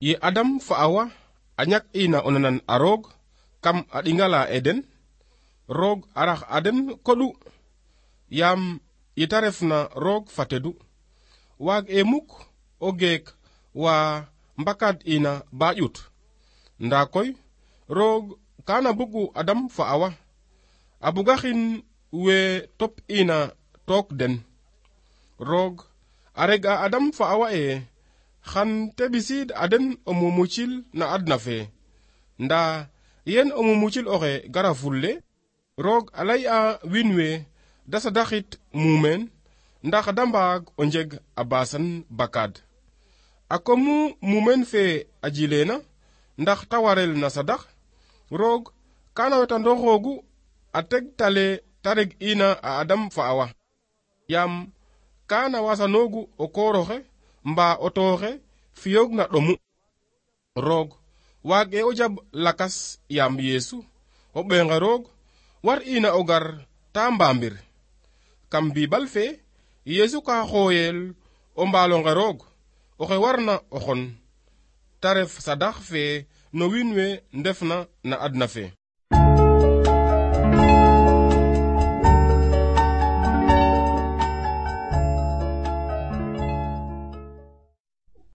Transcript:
Ye Adam fa Awa a ñak ina o nanan a roog kam a ɗingala Eden, roog a rax a den koɗu, yaam yeta refna roog fa tedu, waag e muk o geek wa mbakad ina ba ƴut. Nda koy roog kana bugu Adam fa Awa, a bugaxin we top ina took den. Roog a reg a Adam fa Awa xan te ɓisiid a den o mumucil na adna fe, nda yen o mumucil oxe gara fulle, roog a ley a wiin we da sadaxit mumeen ndax da mbaag o njeg a basan bakad. A komu mumeen fe a jileena ndax ta warel na sadax, roog kana wetandooxoogu a tegtale ta reg ina a Adam fa Awa, yaam kana wasanoogu o kooroxe mba o tooxe fiyoog na ɗomu. Roog waage o jab lakas yaam Yeesu, o ɓeenga roog, war ina o gar ta mbaambir. Kam Biibal fe, Yeesu ka xooyel o mbaalonge roog, oxe warna o xon, ta ref sadax fe no wiin we ndefna na adna fe.